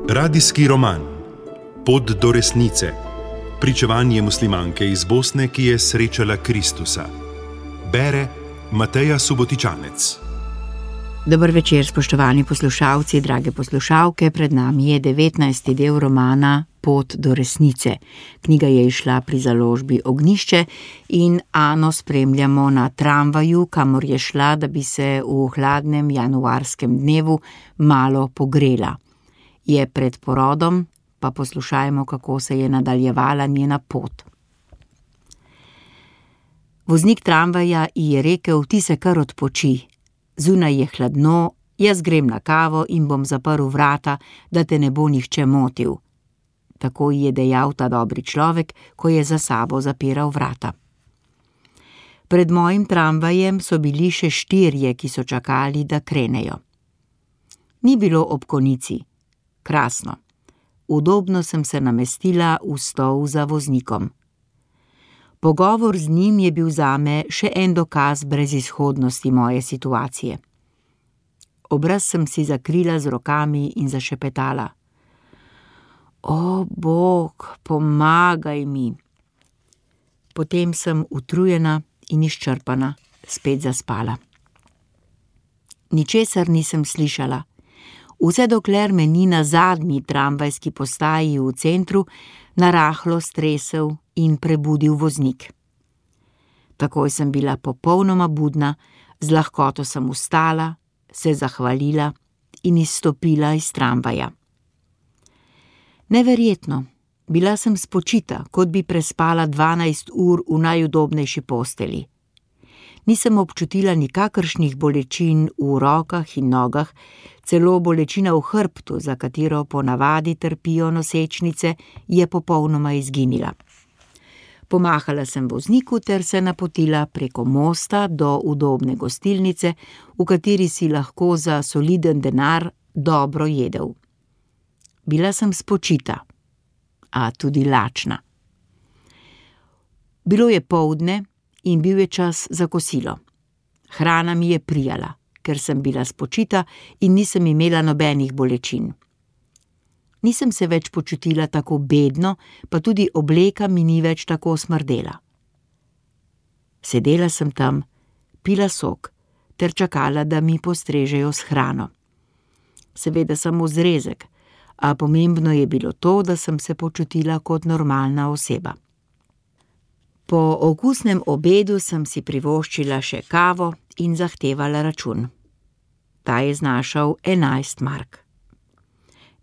Radijski roman Pot do resnice. Pričevanje muslimanke iz Bosne, ki je srečala Kristusa. Bere Mateja Subotičanec. Dober večer, spoštovani poslušalci, drage poslušalke. Pred nami je 19. del romana Pot do resnice. Knjiga je izšla pri založbi Ognjišče in Ano spremljamo na tramvaju, kamor je šla, da bi se v hladnem januarskem dnevu malo pogrela. Je pred porodom, pa poslušajmo, kako se je nadaljevala njena pot. Voznik tramvaja ji je rekel: "Ti se kar odpoči. Zunaj je hladno, jaz grem na kavo in bom zaprl vrata, da te ne bo nihče motil." Tako ji je dejal ta dobri človek, ko je za sabo zapiral vrata. Pred mojim tramvajem so bili še 4, ki so čakali, da krenejo. Ni bilo ob konici. Krasno. Udobno sem se namestila v stol za voznikom. Pogovor z njim je bil zame še en dokaz brezizhodnosti moje situacije. Obraz sem si zakrila z rokami in zašepetala: "O, Bog, pomagaj mi." Potem sem utrujena in izčrpana spet zaspala. Ničesar nisem slišala. Vse dokler me ni na zadnji tramvajski postaji v centru narahlo stresel in prebudil voznik. Takoj sem bila popolnoma budna, z lahkoto sem vstala, se zahvalila in izstopila iz tramvaja. Neverjetno, bila sem spočita, kot bi prespala 12 ur v najudobnejši posteli. Nisem občutila nikakršnih bolečin v rokah in nogah, celo bolečina v hrbtu, za katero ponavadi trpijo nosečnice, je popolnoma izginila. Pomahala sem vozniku ter se napotila preko mosta do udobne gostilnice, v kateri si lahko za soliden denar dobro jedel. Bila sem spočita, a tudi lačna. Bilo je poldne in bil je čas za kosilo. Hrana mi je prijala, ker sem bila spočita in nisem imela nobenih bolečin. Nisem se več počutila tako bedno, pa tudi obleka mi ni več tako smrdela. Sedela sem tam, pila sok ter čakala, da mi postrežejo s hrano. Seveda samo zrezek, a pomembno je bilo to, da sem se počutila kot normalna oseba. Po okusnem obedu sem si privoščila še kavo in zahtevala račun. Ta je znašal 11 mark.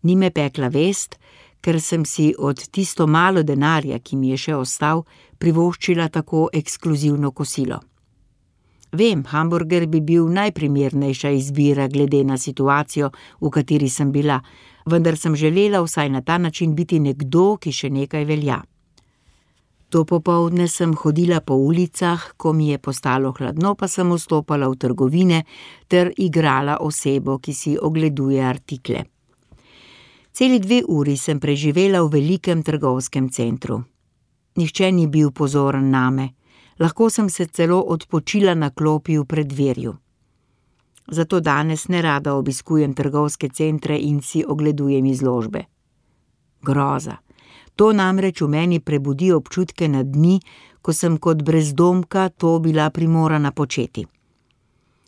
Ni me pekla vest, ker sem si od tisto malo denarja, ki mi je še ostal, privoščila tako ekskluzivno kosilo. Vem, hamburger bi bil najprimernejša izbira glede na situacijo, v kateri sem bila, vendar sem želela vsaj na ta način biti nekdo, ki še nekaj velja. To popoldne sem hodila po ulicah, ko mi je postalo hladno, pa sem vstopala v trgovine ter igrala osebo, ki si ogleduje artikle. Celi 2 uri sem preživela v velikem trgovskem centru. Nihče ni bil pozoren name, lahko sem se celo odpočila na klopi v preddverju. Zato danes nerada obiskujem trgovske centre in si ogledujem izložbe. Groza. To namreč v meni prebudi občutke na dni, ko sem kot brezdomka to bila primorana početi.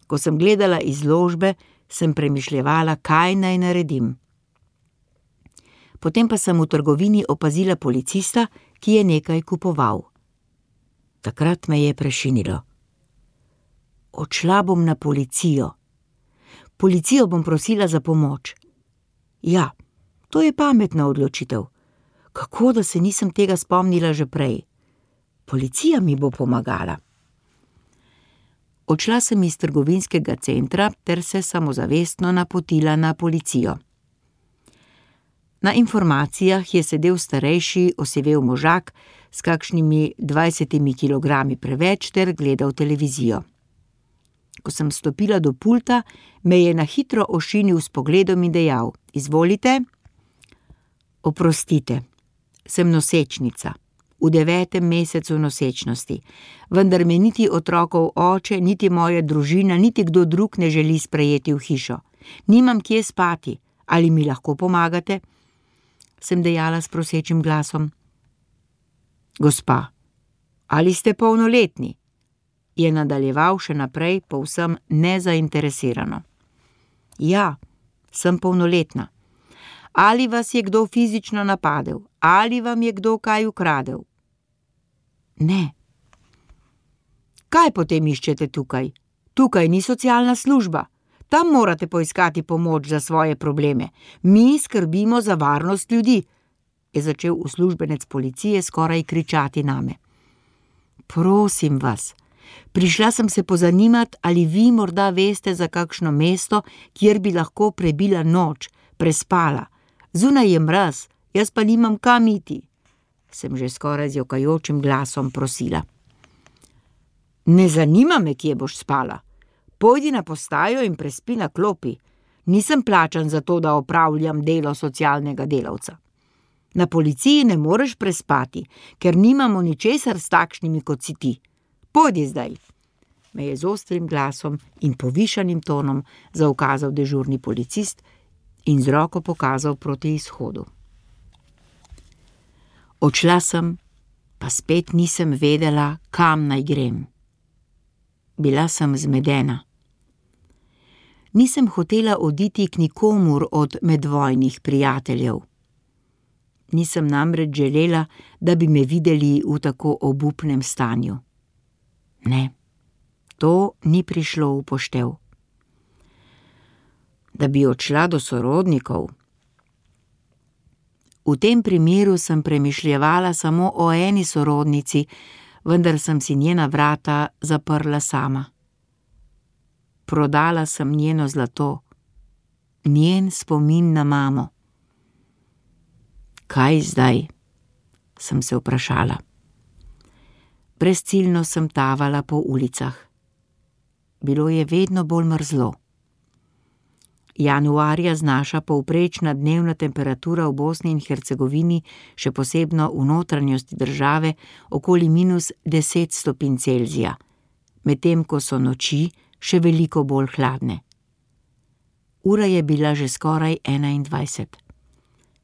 Ko sem gledala izložbe, sem premišljevala, kaj naj naredim. Potem pa sem v trgovini opazila policista, ki je nekaj kupoval. Takrat me je prešinilo. Odšla bom na policijo. Policijo bom prosila za pomoč. Ja, to je pametna odločitev. Kako, da se nisem tega spomnila že prej? Policija mi bo pomagala. Odšla sem iz trgovinskega centra ter se samozavestno napotila na policijo. Na informacijah je sedel starejši, osivel možak s kakšnimi 20 kilogrami preveč ter gledal televizijo. Ko sem stopila do pulta, me je na hitro ošinil s pogledom in dejal: "Izvolite." "Oprostite, sem nosečnica. v 9. mesecu nosečnosti, vendar me niti otrokov oče, niti moja družina, niti kdo drug ne želi sprejeti v hišo. Nimam kje spati, ali mi lahko pomagate? Sem dejala s prosečim glasom. Gospa, ali ste polnoletni? Je nadaljeval še naprej povsem nezainteresirano. Ja, sem polnoletna. Ali vas je kdo fizično napadel? Ali vam je kdo kaj ukradel? Ne. Kaj potem iščete tukaj? Tukaj ni socialna služba. Tam morate poiskati pomoč za svoje probleme. Mi skrbimo za varnost ljudi, je začel uslužbenec policije skoraj kričati name. Prosim vas, prišla sem se pozanimat, ali vi morda veste za kakšno mesto, kjer bi lahko prebila noč, prespala. Zunaj je mraz, jaz pa nimam kam iti, sem že skoraj z jokajočim glasom prosila. Ne zanima me, kje boš spala. Pojdi na postajo in prespi na klopi. Nisem plačan za to, da opravljam delo socialnega delavca. Na policiji ne moreš prespati, ker nimamo ničesar s takšnimi, kot si ti. Pojdi zdaj, me je z ostrim glasom in povišanim tonom zaukazal dežurni policist in z roko pokazal proti izhodu. Odšla sem, pa spet nisem vedela, kam naj grem. Bila sem zmedena. Nisem hotela oditi k nikomur od medvojnih prijateljev. Nisem namreč želela, da bi me videli v tako obupnem stanju. Ne, to ni prišlo v poštev. Da bi odšla do sorodnikov. V tem primeru sem premišljevala samo o eni sorodnici, vendar sem si njena vrata zaprla sama. Prodala sem njeno zlato, njen spomin na mamo. Kaj zdaj? Sem se vprašala. Brezciljno sem tavala po ulicah. Bilo je vedno bolj mrzlo. Januarja znaša povprečna dnevna temperatura v Bosni in Hercegovini, še posebno v notranjosti države, okoli -10 stopinj Celzija, medtem ko so noči še veliko bolj hladne. Ura je bila že skoraj 21.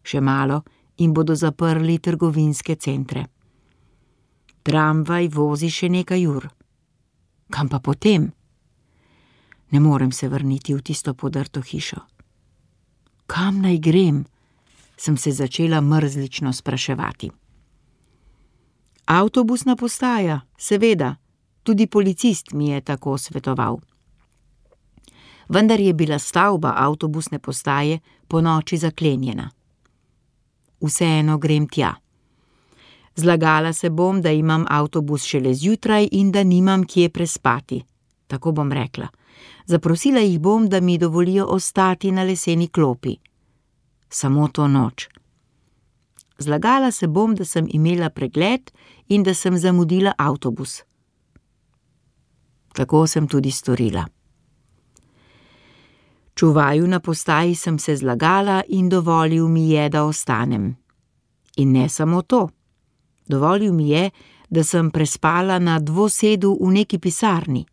Še malo in bodo zaprli trgovinske centre. Tramvaj vozi še nekaj ur. Kam pa potem? Ne morem se vrniti v tisto podrto hišo. Kam naj grem? Sem se začela mrzlično spraševati. Avtobusna postaja, seveda, tudi policist mi je tako svetoval. Vendar je bila stavba avtobusne postaje ponoči zaklenjena. Vseeno grem tja. Zlagala se bom, da imam avtobus šele zjutraj in da nimam kje prespati. Tako bom rekla. Zaprosila jih bom, da mi dovolijo ostati na leseni klopi. Samo to noč. Zlagala se bom, da sem imela pregled in da sem zamudila avtobus. Tako sem tudi storila. Čuvaju na postaji sem se zlagala in dovolil mi je, da ostanem. In ne samo to. Dovolil mi je, da sem prespala na dvosedu v neki pisarni.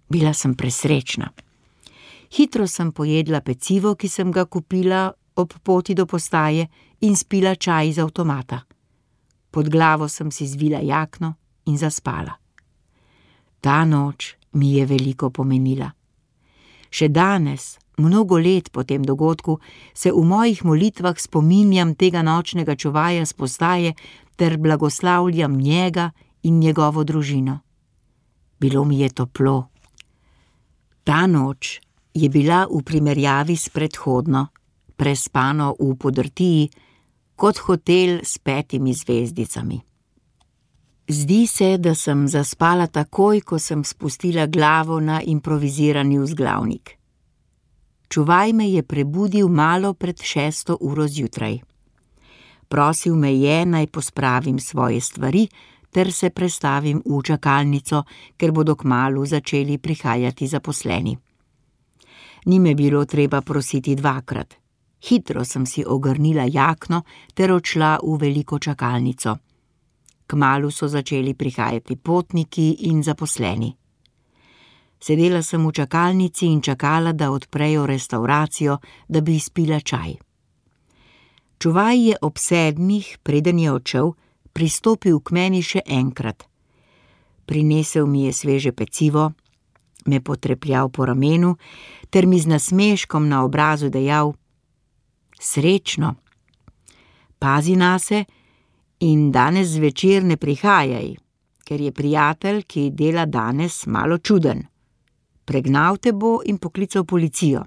Bila sem presrečna. Hitro sem pojedla pecivo, ki sem ga kupila ob poti do postaje, in spila čaj iz avtomata. Pod glavo sem si zvila jakno in zaspala. Ta noč mi je veliko pomenila. Še danes, mnogo let po tem dogodku, se v mojih molitvah spominjam tega nočnega čuvaja s postaje ter blagoslavljam njega in njegovo družino. Bilo mi je toplo. Ta noč je bila v primerjavi s predhodno, prespano v podrtiji, kot hotel s 5 zvezdicami. Zdi se, da sem zaspala takoj, ko sem spustila glavo na improvizirani vzglavnik. Čuvaj me je prebudil malo pred 6. uro zjutraj. Prosil me je, naj pospravim svoje stvari ter se prestavim v čakalnico, ker bodo kmalu začeli prihajati zaposleni. Ni me bilo treba prositi dvakrat. Hitro sem si ogrnila jakno ter odšla v veliko čakalnico. Kmalu so začeli prihajati potniki in zaposleni. Sedela sem v čakalnici in čakala, da odprejo restavracijo, da bi izpila čaj. Čuvaj je ob 7, preden je odšel, pristopil k meni še enkrat. Prinesel mi je sveže pecivo, me potrepljal po ramenu ter mi z nasmeškom na obrazu dejal: "Srečno, pazi nase in danes zvečer ne prihajaj, ker je prijatelj, ki dela danes, malo čuden. Pregnal te bo in poklical policijo.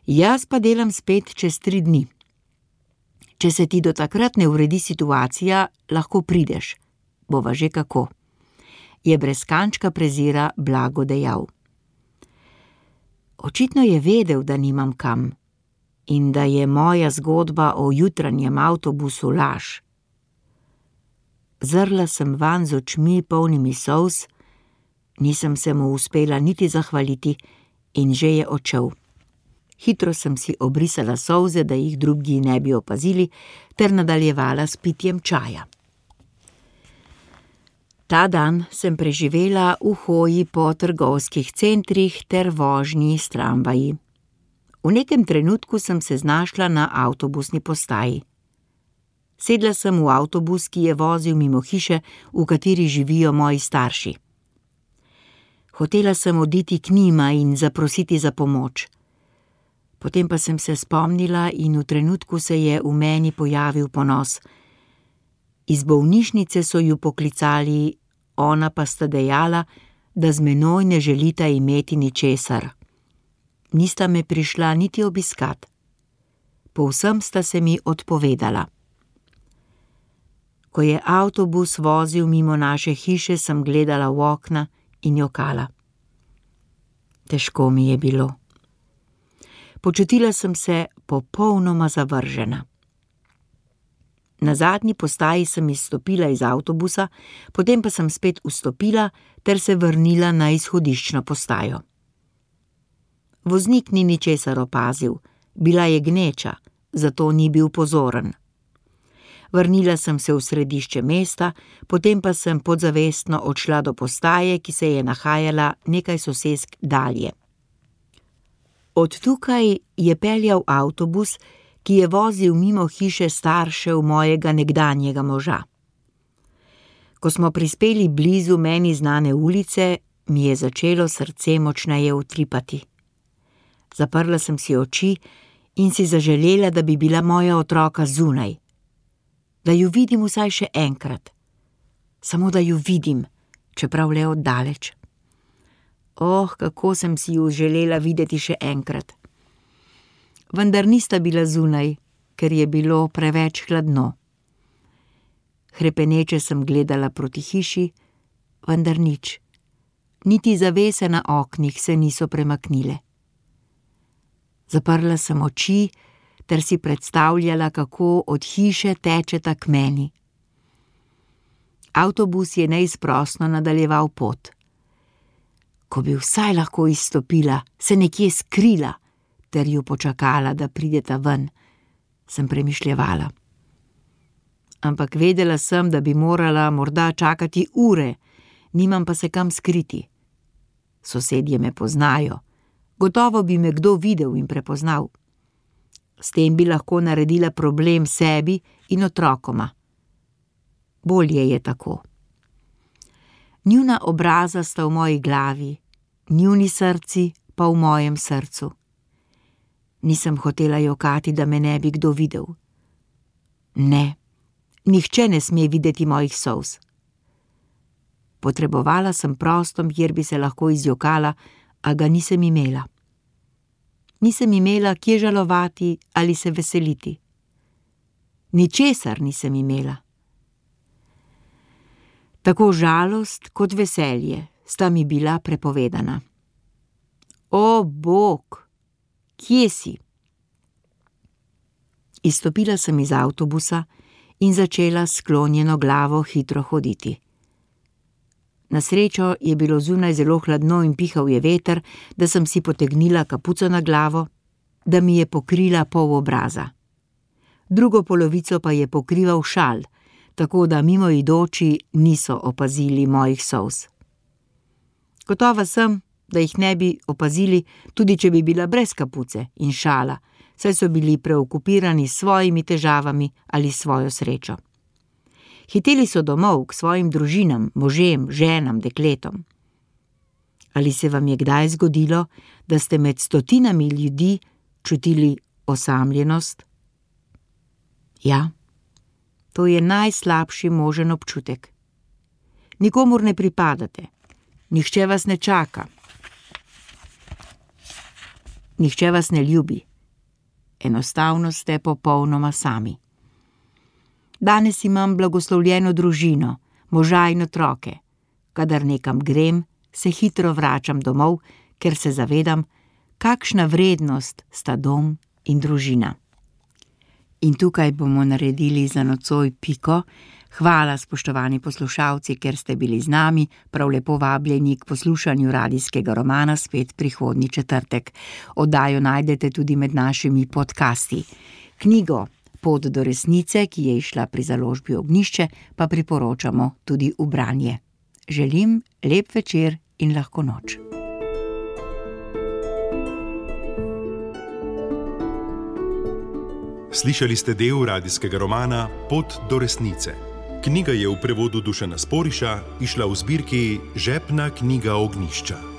Jaz pa delam spet čez 3 dni. Če se ti do takrat ne uredi situacija, lahko prideš, bova že kako," je brez kančka prezira blago dejal. Očitno je vedel, da nimam kam in da je moja zgodba o jutranjem avtobusu laž. Zrla sem vanj z očmi polnimi solz, nisem se mu uspela niti zahvaliti in že je odšel. Hitro sem si obrisala solze, da jih drugi ne bi opazili, ter nadaljevala s pitjem čaja. Ta dan sem preživela v hoji po trgovskih centrih ter vožnji s tramvaji. V nekem trenutku sem se znašla na avtobusni postaji. Sedla sem v avtobus, ki je vozil mimo hiše, v kateri živijo moji starši. Hotela sem oditi k njima in zaprositi za pomoč. Potem pa sem se spomnila in v trenutku se je v meni pojavil ponos. Iz bolnišnice so ju poklicali, ona pa sta dejala, da z menoj ne želita imeti ničesar. Nista me prišla niti obiskat. Povsem sta se mi odpovedala. Ko je avtobus vozil mimo naše hiše, sem gledala v okna in jokala. Težko mi je bilo. Počutila sem se popolnoma zavržena. Na zadnji postaji sem izstopila iz avtobusa, potem pa sem spet vstopila ter se vrnila na izhodiščno postajo. Voznik ni ničesar opazil, bila je gneča, zato ni bil pozoren. Vrnila sem se v središče mesta, potem pa sem podzavestno odšla do postaje, ki se je nahajala nekaj sosesk dalje. Od tukaj je peljal avtobus, ki je vozil mimo hiše staršev mojega nekdanjega moža. Ko smo prispeli blizu meni znane ulice, mi je začelo srce močneje utripati. Zaprla sem si oči in si zaželela, da bi bila moja otroka zunaj. Da ju vidim vsaj še enkrat. Samo da ju vidim, čeprav le oddaleč. Kako sem si ju želela videti še enkrat. Vendar nista bila zunaj, ker je bilo preveč hladno. Hrepeneče sem gledala proti hiši, vendar nič. Niti zavese na oknih se niso premaknile. Zaprla sem oči ter si predstavljala, kako od hiše tečeta k meni. Avtobus je neizprosno nadaljeval pot. Ko bi vsaj lahko izstopila, se nekje skrila ter ju počakala, da prideta ven, sem premišljevala. Ampak vedela sem, da bi morala morda čakati ure, nimam pa se kam skriti. Sosedje me poznajo, gotovo bi me kdo videl in prepoznal. S tem bi lahko naredila problem sebi in otrokoma. Bolje je tako. Njuna obraza sta v moji glavi, njuni srci pa v mojem srcu. Nisem hotela jokati, da me ne bi kdo videl. Ne, nihče ne sme videti mojih solz. Potrebovala sem prostor, kjer bi se lahko izjokala, a ga nisem imela. Nisem imela kje žalovati ali se veseliti. Ničesar nisem imela. Tako žalost kot veselje sta mi bila prepovedana. O, Bog, kje si? Izstopila sem iz avtobusa in začela s sklonjeno glavo hitro hoditi. Na srečo je bilo zunaj zelo hladno in pihal je veter, da sem si potegnila kapuco na glavo, da mi je pokrila pol obraza. Drugo polovico pa je pokrival šal, tako da mimoidoči niso opazili mojih solz. Gotova sem, da jih ne bi opazili, tudi če bi bila brez kapuce in šala, saj so bili preokupirani s svojimi težavami ali svojo srečo. Hiteli so domov k svojim družinam, možem, ženam, dekletom. Ali se vam je kdaj zgodilo, da ste med stotinami ljudi čutili osamljenost? Ja, to je najslabši možen občutek. Nikomur ne pripadate, nihče vas ne čaka, nihče vas ne ljubi. Enostavno ste popolnoma sami. Danes imam blagoslovljeno družino, moža in otroke. Kadar nekam grem, se hitro vračam domov, ker se zavedam, kakšna vrednost sta dom in družina. In tukaj bomo naredili za nocoj piko. Hvala, spoštovani poslušalci, ker ste bili z nami, prav lepo vabljeni k poslušanju radijskega romana spet prihodnji četrtek. Oddajo najdete tudi med našimi podcasti. Knjigo Pot do resnice, ki je izšla pri založbi Ognjišče, pa priporočamo tudi v branje. Želim lep večer in lahko noč. Slišali ste del radijskega romana Pot do resnice. Knjiga je v prevodu Dušana Sporiša izšla v zbirki Žepna knjiga Ognjišča.